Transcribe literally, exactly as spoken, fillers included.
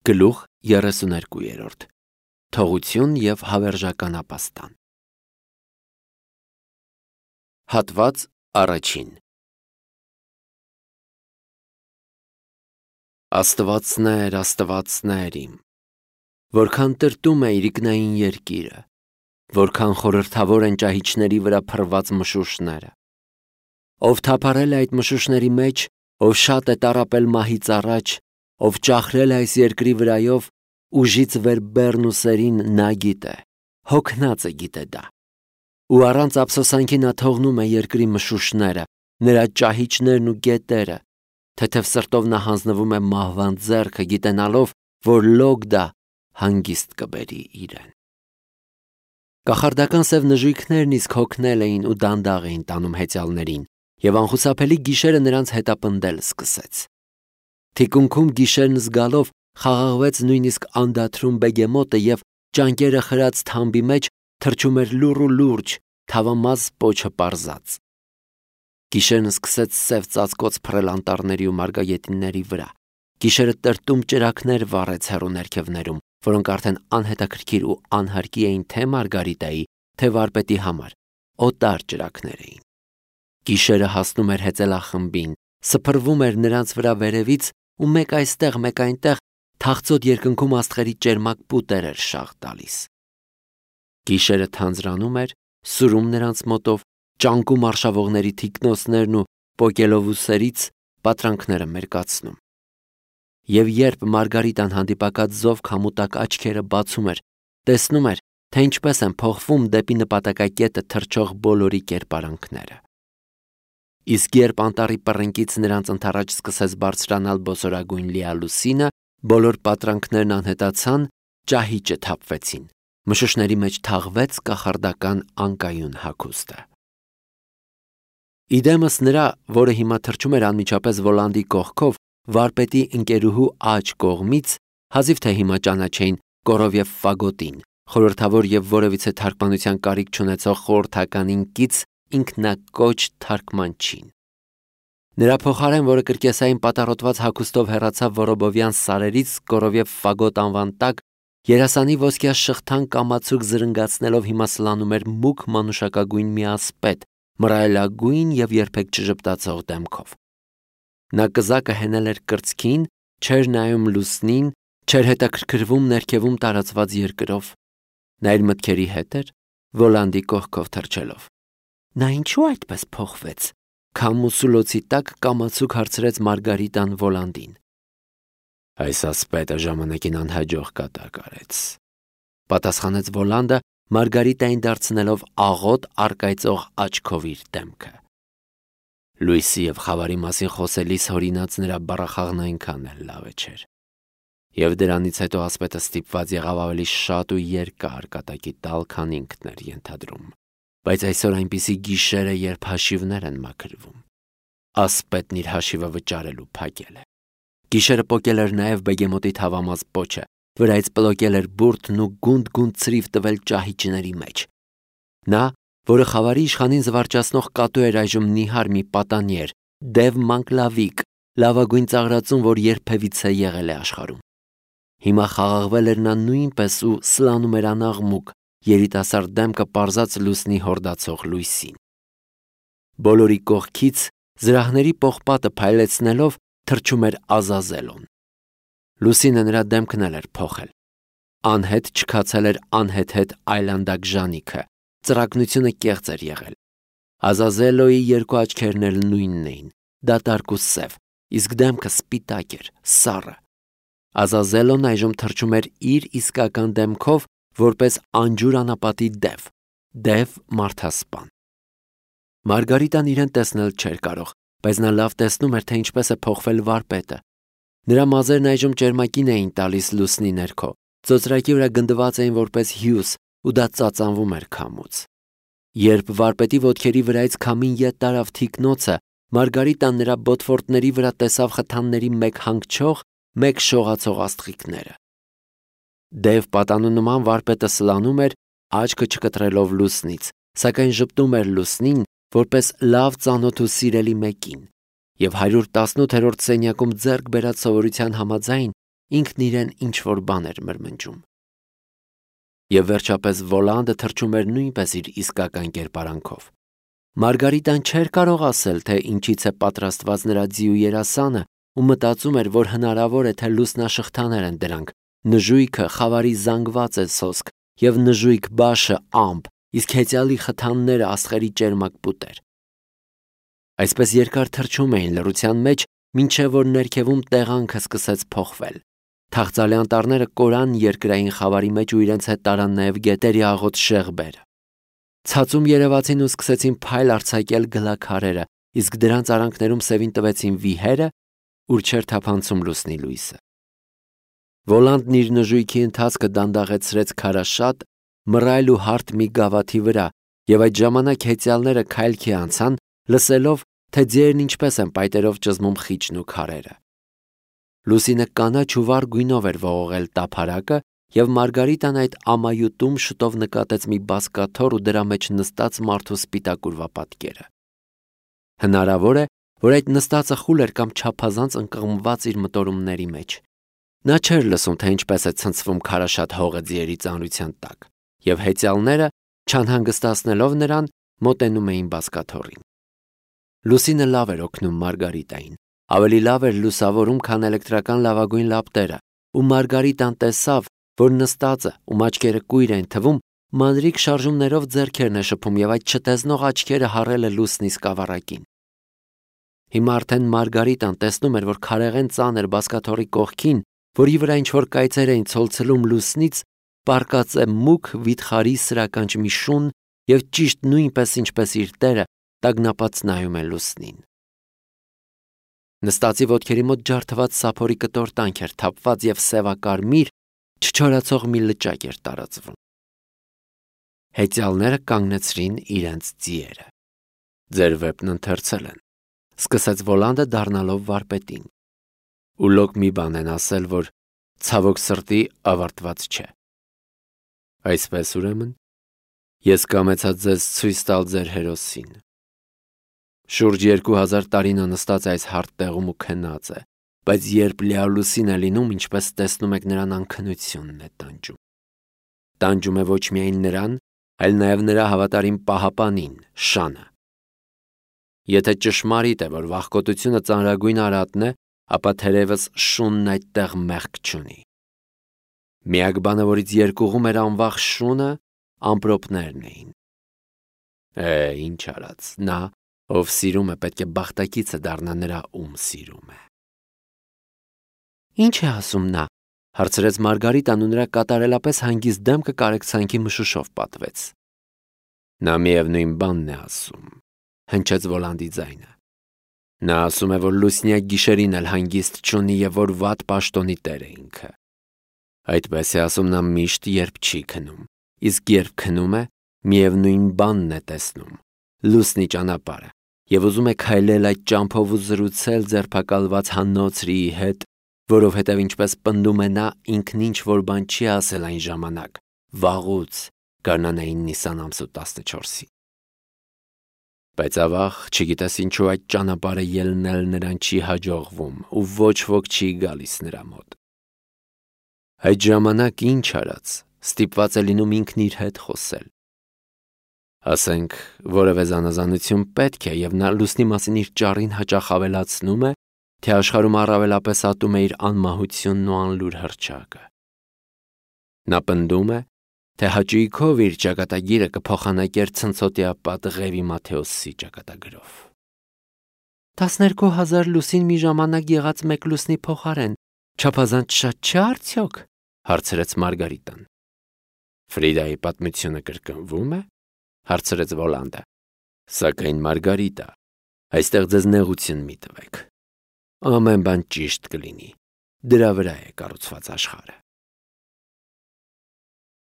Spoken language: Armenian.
Գլուխ երեսուներկու Թողություն և հավերժական ապաստան։ Հատված առաջին։ Աստվածներ, աստվածներ իմ, որքան տրտում է իրիկնային երկիրը, որքան խորհրդավոր են ճահիճների վրա փռված մշուշները, ով թափառել է այդ մշուշների մեջ, ով շատ է տառապել մահից առաջ, ով ճախրել է այս երկրի վրայով, ուժից վեր բեռն ու սերին նա գիտե, հոգնած է գիտե դա, ու առանց ափսոսանքի նա թողնում է երկրի մշուշները, նրա ճահիճներն ու գետերը, թեթև սրտով նա հանձնվում է մահվան ձեռքը, գիտենալով, որ լոկ դա հանգիստ կբերի իրեն։ Կախարդական սև նժույգներն իսկ հոգնել էին ու դանդաղ էին տանում հեծյալներին, և անխուսափելի գիշերը նրանց հետապնդել սկսեց։ Թիկունքում գիշերն զգալով խաղաղվեց նույնիսկ անդադրում բեգեմոտը և ճանկերը խրած թամբի մեջ թռչում էր լուռ ու լուրջ, թավամաս պոչը պարզած։ Գիշերն սկսեց սև ծածկոց փռել անտառների ու մարգագետինների վրա։ Գիշերը տրտում ճրագներ վառեց հեռու ներքևներում, որոնք արդեն անհետաքրքիր ու անհարկի էին թե Մարգարիտայի, թե վարպետի համար, օտար ճրագներ էին։ Գիշերը հասնում էր հեծելախմբին, սփռվում էր նրանց վրա վերևից ու մեկ այստեղ, մեկ այնտեղ թախծոտ երկնքում աստղերի ճերմակ պուտեր էր շաղ տալիս։ Գիշերը թանձրանում էր, սուրում նրանց մոտով, ճանկում արշավողների թիկնոցներն ու պոկելովուսերից պատրանքները մերկացնում։ Եվ երբ Մարգարիտան հանդիպակաց զով քամուտակ աչքերը բացում էր, տեսնում էր, թե ինչպես են փոխվում դեպի նպատակակետը թռչող բոլորի կերպարանքները։ Իսկ երբ անտառի պռնկից նրանց ընդառաջ սկսեց բարձրանալ բոսորագույն լիալուսինը, բոլոր պատրանքներն անհետացան, ճահիճը թափվեցին, մշուշների մեջ թաղվեց կախարդական անկայուն հագուստը։ Իդեմս նրա, որը հիմա թռչում էր անմիջապես Վոլանդի կողքով, վարպետի ընկերուհու աջ կողմից, հազիվ թե հիմա ճանաչեին Կորովև Ֆագոտին, խորհրդավոր և որևիցե թարգմանության կարիք չունեցող խորհրդականին կից ինքնակոչ թարգմանչին։ Նրա փոխարեն, որը կրկեսային պատառոտված հագուստով հեռացավ Որոբովյան սարերից Կորովև Ֆագոտ անվան տակ, երասանի ոսկյա շղթան կամացուկ զրնգացնելով հիմա սլանում էր մուգ մանուշակագույն մի ասպետ, մռայլագույն և երբեք չժպտացող դեմքով։ Նա կզակը հենել էր կրծքին, չէր նայում լուսնին, չէր հետաքրքրվում ներքևում տարածված երկրով։ Նա իր մտքերի հետ էր, Վոլանդի կողքով թռչելով։ Նա ինչու այդպես փոխվեց։ Քամուսուլոցի տակ կամացուկ հարցրեց Մարգարիտան Վոլանդին։ Այս ասպետը ժամանակին անհաջող կատակ արեց, պատասխանեց Վոլանդը, Մարգարիտային դարձնելով աղոտ առկայծող աչքով իր դեմքը։ Լույսի և խավարի մասին խոսելիս հորինած նրա բառախաղն այնքան էլ լավ չէր։ Եվ դրանից հետո ասպետը ստիպված եղավ ավելի շատ ու երկար կատակի տալ, քան ինքն էր ենթադրում։ Բայց այսօր այնպիսի գիշեր է, երբ հաշիվներ են մաքրվում։ Ասպետն իր հաշիվը վճարելու փակել է։ Գիշերը պոկել էր նաև բեգեմոտի թավամաս պոչը, վրայից պլոկել էր բուրդն ու գունդ-գունդ ցրիվ տվել ճահիճների մեջ։ Նա, որը խավարի իշխանին զվարճացնող կատու էր այժմ նիհար մի պատանի էր, դև մանկլավիկ, լավագույն ծաղրածուն, որ երբևիցե եղել է աշխարհում։ Հիմա խաղաղվել էր նա նույնպես ու սլանում էր անաղմուկ, երիտասարդ դեմքը պարզած լուսնի հորդացող լույսին։ Բոլորի կողքից զրահների պողպատը փայլեցնելով թռչում էր Ազազելոն։ Լուսինը նրա դեմքն էլ էր փոխել։ Անհետ չքացել էր անհետ-հետ այլանդակ ժանիքը, ծրակնությունը կեղծ էր եղել։ Ազազելոյի երկու աչքերն էլ նույնն էին, դատարկ ու սև, իսկ դեմքը սպիտակ էր, սառը։ Ազազելոն այժմ թռչում էր իր իսկական դեմքով, որպես անջուր անապատի դև, դև մարդասպան։ Մարգարիտան իրեն տեսնել չէր կարող, բայց նա լավ տեսնում էր, թե ինչպես է փոխվել վարպետը։ Նրա մազերն այժմ ճերմակին էին տալիս լուսնի ներքո, ծոծրակի վրա գնդված էին որպես հյուս, ու դա ծածանվում էր քամուց։ Երբ վարպետի ոտքերի վրայից քամին ետ տարավ թիկնոցը, Մարգարիտան նրա բոթվորտների վրա տեսավ խթանների մեկ հանգչող, մեկ շողացող աստղիկները։ Դև պատանու նման վարպետը սլանում էր, աչքը չկտրելով լուսնից, սակայն ժպտում էր լուսնին, որպես լավ ծանոթ ու սիրելի մեկին, և հարյուր տասնութերորդ սենյակում ձեռք բերած սովորության համաձայն ինքն իրեն ինչ-որ բան էր մրմնջում։ Եվ վերջապես Վոլանդը թռչում էր նույնպես իր իսկական կերպարանքով։ Մարգարիտան չէր կարող ասել, թե ինչից է պատրաստված նրա ձիու երասանը ու մտածում էր, որ հնարավոր է, թե լուսնաշղթաներ են դրանք, նժույգը խավարի զանգված է սոսկ և նժույգ բաշը ամպ, իսկ հեծյալի խթանները աստղերի ճերմակ պուտեր։ Այսպես երկար թռչում էին լռության մեջ, մինչև որ ներքևում տեղանքը սկսեց փոխվել։ Թախծալի անտառները կորան երկրային խավարի մեջ ու իրենց հետ տարան նաև գետերի աղոտ շեղբերը։ Ցածում երևացին ու սկսեցին փայլ արձակել գլաքարերը, իսկ դրանց արանքներում սևին տվեցին վիհերը, ուր չէր թափանցում լուսնի լույսը։ Վոլանդն իր նժույգի ընթացքը դանդաղեցրեց քարաշատ, մռայլ ու հարթ մի գավաթի վրա, և այդ ժամանակ հեծյալները քայլքի անցան, լսելով, թե ձիերն ինչպես են պայտերով ճզմում խիճն ու քարերը։ Լուսինը կանաչ ու վառ գույնով էր ողողել տափարակը, և Մարգարիտան այդ ամայութում շուտով նկատեց մի բազկաթոռ ու դրա մեջ նստած մարդու սպիտակուրվա պատկերը։ Հնարավոր է, որ այդ նստածը խուլ էր կամ չափազանց ընկղմված իր մտորումների մեջ։ Նա չէր լսում, թե ինչպես է ցնցվում քարաշատ հողը ձիերի ծանրության տակ, և հեծյալները, չանհանգստացնելով նրան, մոտենում էին բազկաթոռին։ Լուսինը լավ էր օգնում Մարգարիտային, ավելի լավ էր լուսավորում, քան էլեկտրական լավագույն լապտերը, ու Մարգարիտան տեսավ, որ նստածը, ում աչքերը կույր էին թվում, մանրիկ շարժումներով ձեռքերն է շփում և այդ չտեսնող աչքերը հառել է լուսնի սկավառակին։ Հիմա արդեն Մարգարիտան տեսնում էր, որ քարեղեն ծանր բազկաթոռի կողքին, որի վրա ինչ-որ կայծեր էին ցոլցլում լուսնից, պառկած է մուգ վիթխարի սրականջ մի շուն և ճիշտ նույնպես ինչպես իր տերը տագնապած նայում է լուսնին։ Նստածի ոտքերի մոտ ջարդված սափորի կտոր տանք էր թափված և սևակարմիր, չչորացող մի լճակ էր տարածվում։ Հեծյալները կանգնեցրին իրենց ձիերը։ «Ձեր վեպն ընթերցել են», սկսեց Վոլանդը դառնալով վարպետին։ «Ու լոկ մի բան են ասել, որ ցավոք սրտի ավարտված չէ։ Այսպես ուրեմն, ես կամեցա ձեզ ցույց տալ ձեր հերոսին։ Շուրջ երկու հազար տարի նա նստած է այս հարթ տեղում ու քնած է, բայց երբ լիալուսին է լինում, ինչպես տեսնում եք, նրան անքնությունն է տանջում։ Տանջում է ոչ միայն նրան, այլ նաև նրա հավատարիմ պահապանին, Շանը։ Եթե ճշմարիտ է, որ վախկոտությունը ծանրագույն արատն է, ապա թերևս շունն այդտեղ մեղք չունի։ Միակ բանը, որից երկուղում էր անվախ շունը, ամպրոպներն էին։ Է, ինչ արած, նա, ով սիրում է, պետք է բախտակիցը դառնա նրա, ում սիրում է։ Ինչ է ասում նա, հարցրեց Մարգարիտան ու նրա կատարելապես հանգիստ դեմքը կարեկցանքի մշուշով պատվեց։ Նա միևնույն բանն է ասում, հնչեց Վոլանդի ձայնը։ Նա ասում է, որ լուսնյակ գիշերին էլ հանգիստ չունի և որ վատ պաշտոնի տեր է ինքը։ Այդպես է ասում նա միշտ, երբ չի քնում, իսկ երբ քնում է, միևնույն բանն է տեսնում, լուսնի ճանապարհը, և ուզում է քայլել այդ ճամփով ու զրուցել ձերբակալված հաննոցրիի հետ, որովհետև ինչպես պնդում է նա, ինքն ինչ-որ բան չի ասել այն ժամանակ, վաղուց, գարնանային Նիսան ամսու տասնչորսին։ Բայց ավաղ, չգիտես ինչու այդ ճանապարհը ելնել նրան չի հաջողվում ու ոչ ոք չի գալիս նրա մոտ։ Այդ ժամանակ ինչ արած, ստիպված է լինում ինքն իր հետ խոսել։ Ասենք, որևէ զանազանություն պետք է, և նա լուսնի մասին իր ճառին հաճախ ավելացնում է, թե աշխարհում առավելապես ատում է իր անմահությունն ու անլուր հռչակը։ Նա պնդում է, թե հաճույքով իր ճակատագիրը կփոխանակեր ցնցոտիապատ Ղևի Մաթեոսի ճակատագրով։ Տասներկու հազար լուսին մի ժամանակ եղած մեկ լուսնի փոխարեն չափազանց շատ չէ արդյոք, հարցրեց Մարգարիտան։ Ֆրիդայի պատմությունը կրկնվում է, հարցրեց Վոլանդը։ Սակայն Մարգարիտա, այստեղ ձեզ նեղություն մի տվեք։ Ամեն բան ճիշտ կլինի։ Դրա վրա է կառուցված աշխարհը։